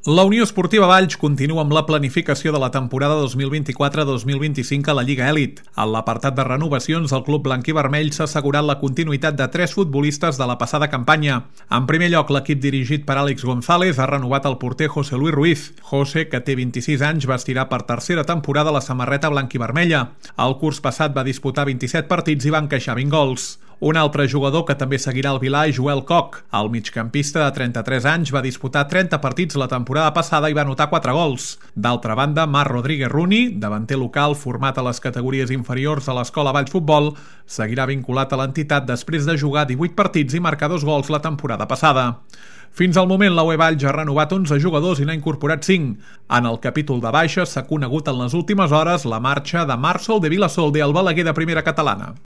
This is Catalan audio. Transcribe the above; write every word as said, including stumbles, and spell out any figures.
La Unió Esportiva Valls continua amb la planificació de la temporada dos mil vint-i-quatre dos mil vint-i-cinc a la Lliga Elit. En l'apartat de renovacions, el club blanc-i-vermell s'ha assegurat la continuïtat de tres futbolistes de la passada campanya. En primer lloc, l'equip dirigit per Àlex González ha renovat el porter José Luis Ruiz. José, que té vint-i-sis anys, vestirà per tercera temporada la samarreta blanc-i-vermella. El curs passat va disputar vint-i-set partits i va encaixar vint gols. Un altre jugador que també seguirà el Vilà és Joel Koch. El migcampista de trenta-tres anys va disputar trenta partits la temporada passada i va anotar quatre gols. D'altra banda, Marc Rodríguez Runi, davanter local format a les categories inferiors a l'Escola Valls Futbol, seguirà vinculat a l'entitat després de jugar divuit partits i marcar dos gols la temporada passada. Fins al moment, la U E Valls ha renovat onze jugadors i n'ha incorporat cinc. En el capítol de baixes s'ha conegut en les últimes hores la marxa de Marçol de Vilasolde al Balaguer de Primera Catalana.